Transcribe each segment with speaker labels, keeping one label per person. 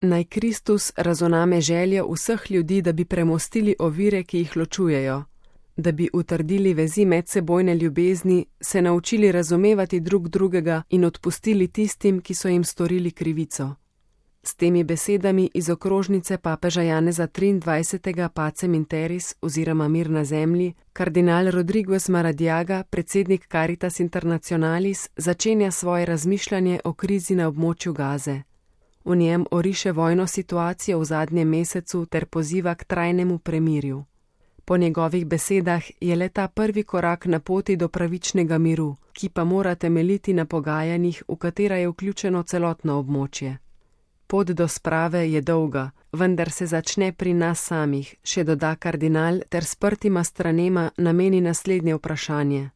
Speaker 1: Naj Kristus razoname željo vseh ljudi, da bi premostili ovire, ki jih ločujejo, da bi utrdili vezi medsebojne ljubezni, se naučili razumevati drug drugega in odpustili tistim, ki so jim storili krivico. S temi besedami iz okrožnice papeža Janeza 23. Pacem in Terris oziroma Mir na zemlji, kardinal Rodriguez Maradiaga, predsednik Caritas Internationalis, začenja svoje razmišljanje o krizi na območju Gaze. V njem oriše vojno situacijo v zadnjem mesecu ter poziva k trajnemu premirju. Po njegovih besedah je le ta prvi korak na poti do pravičnega miru, ki pa mora temeljiti na pogajanjih, v katera je vključeno celotno območje. Pot do sprave je dolga, vendar se začne pri nas samih, še doda kardinal ter sprtima stranema nameni naslednje vprašanje.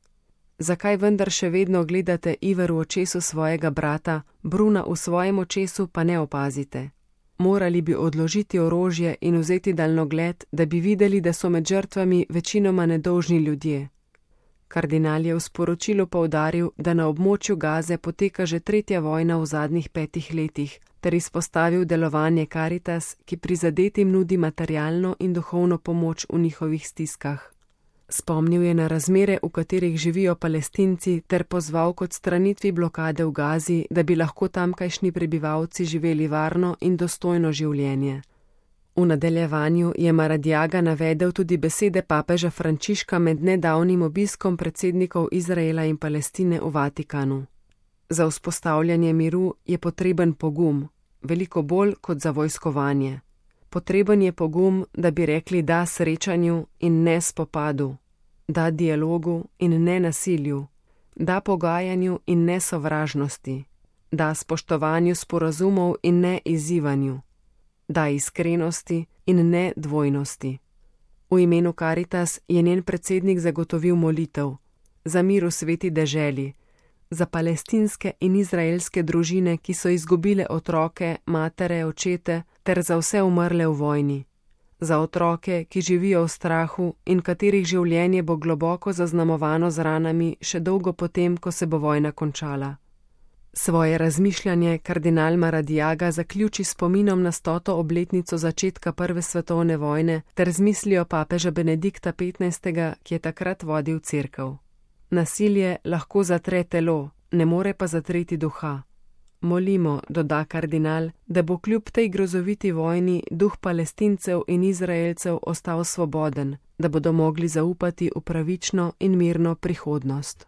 Speaker 1: Zakaj vendar še vedno gledate iver v očesu svojega brata, bruna v svojem očesu pa ne opazite? Morali bi odložiti orožje in vzeti daljnogled, da bi videli, da so med žrtvami večinoma nedolžni ljudje. Kardinal je v sporočilu poudaril, da na območju Gaze poteka že tretja vojna v zadnjih 5 letih, ter izpostavil delovanje Caritas, ki prizadetim nudi materialno in duhovno pomoč v njihovih stiskah. Spomnil je na razmere, v katerih živijo Palestinci, ter pozval k odstranitvi blokade v Gazi, da bi lahko tamkajšnji prebivalci živeli varno in dostojno življenje. V nadaljevanju je Maradiaga navedel tudi besede papeža Frančiška med nedavnim obiskom predsednikov Izraela in Palestine v Vatikanu. Za vzpostavljanje miru je potreben pogum, veliko bolj kot za vojskovanje. Potreben je pogum, da bi rekli da srečanju in ne spopadu, da dialogu in ne nasilju, da pogajanju in ne sovražnosti, da spoštovanju sporazumov in ne izzivanju, da iskrenosti in ne dvojnosti. V imenu Caritas je njen predsednik zagotovil molitev za mir v sveti deželi, za palestinske in izraelske družine, ki so izgubile otroke, matere, očete, ter za vse umrle v vojni. Za otroke, ki živijo v strahu in katerih življenje bo globoko zaznamovano z ranami še dolgo potem, ko se bo vojna končala. Svoje razmišljanje kardinal Maradiaga zaključi spominom na 100. obletnico začetka Prve svetovne vojne ter z mislijo papeža Benedikta XV., ki je takrat vodil cerkev. Nasilje lahko zatre telo, ne more pa zatreti duha. Molimo, doda kardinal, da bo kljub tej grozoviti vojni duh Palestincev in Izraelcev ostal svoboden, da bodo mogli zaupati v pravično in mirno prihodnost.